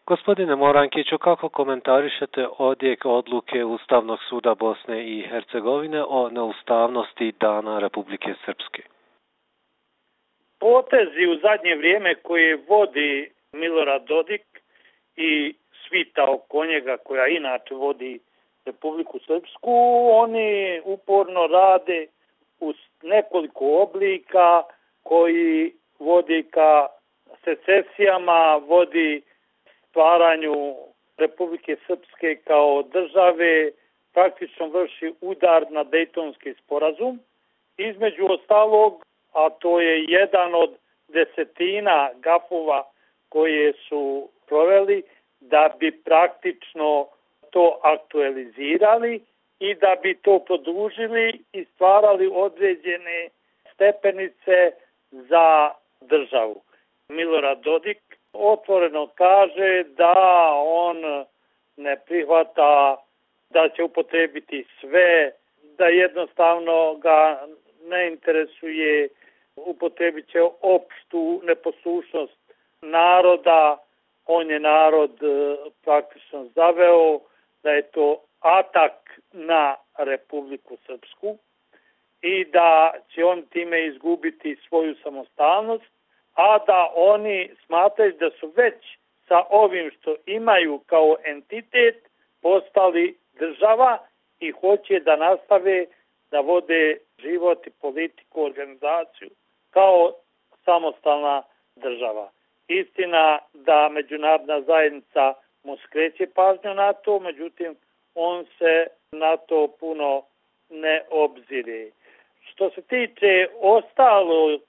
Gospodine Morankiću, kako komentarišete odjek odluke Ustavnog suda Bosne i Hercegovine o neustavnosti Dana Republike Srpske? Potezi u zadnje vrijeme koje vodi Milorad Dodik i svita oko njega koja inače vodi Republiku Srpsku, oni uporno rade u nekoliko oblika koji vodi ka secesijama, vodi stvaranju Republike Srpske kao države, praktično vrši udar na Dejtonski sporazum. Između ostalog, a to je jedan od desetina gafova koje su proveli, da bi praktično to aktualizirali i da bi to produžili i stvarali određene stepenice za državu. Milorad Dodik otvoreno kaže da on ne prihvata da će upotrebiti sve, da jednostavno ga ne interesuje, upotrebit će opštu neposlušnost naroda, on je narod praktično zaveo, da je to atak na Republiku Srpsku i da će on time izgubiti svoju samostalnost, a da oni smatraju da su već sa ovim što imaju kao entitet postali država i hoće da nastave da vode život i politiku, organizaciju kao samostalna država. Istina da međunarodna zajednica mu skreće pažnju na to, međutim on se na to puno ne obzire. Što se tiče ostalog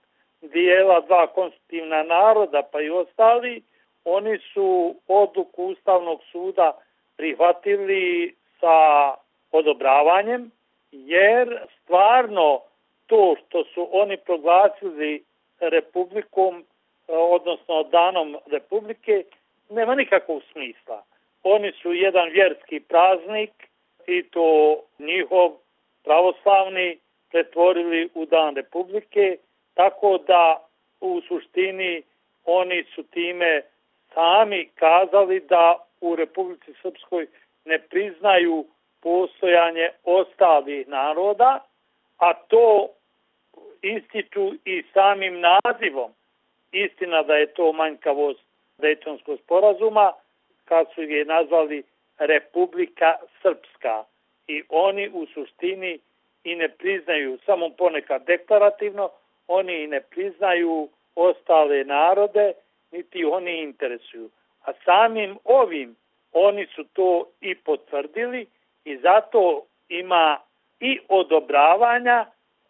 dijela dva konstitutivna naroda pa i ostali, oni su odluku Ustavnog suda prihvatili sa odobravanjem, jer stvarno to što su oni proglasili republikom, odnosno danom Republike, nema nikakvog smisla. Oni su jedan vjerski praznik i to njihov pravoslavni pretvorili u dan Republike, tako da u suštini oni su time sami kazali da u Republici Srpskoj ne priznaju postojanje ostalih naroda, a to ističu i samim nazivom. Istina da je to manjkavost Dejtonskog sporazuma, kad su je nazvali Republika Srpska. I oni u suštini i ne priznaju, samo ponekad deklarativno, oni i ne priznaju ostale narode, niti oni interesuju. A samim ovim oni su to i potvrdili i zato ima i odobravanja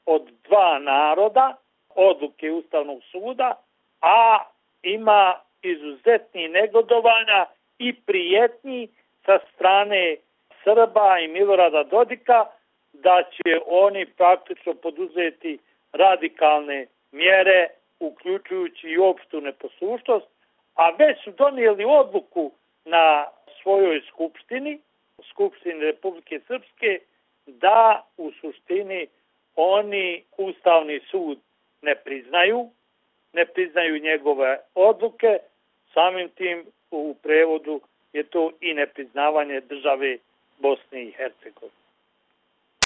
od dva naroda, odluke Ustavnog suda, a ima izuzetnih negodovanja i prijetnji sa strane Srba i Milorada Dodika da će oni praktično poduzeti radikalne mjere, uključujući i opštu neposlušnost, a već su donijeli odluku na svojoj skupštini Republike Srpske, da u suštini oni Ustavni sud ne priznaju njegove odluke, samim tim u prevodu je to i nepriznavanje države Bosne i Hercegovine.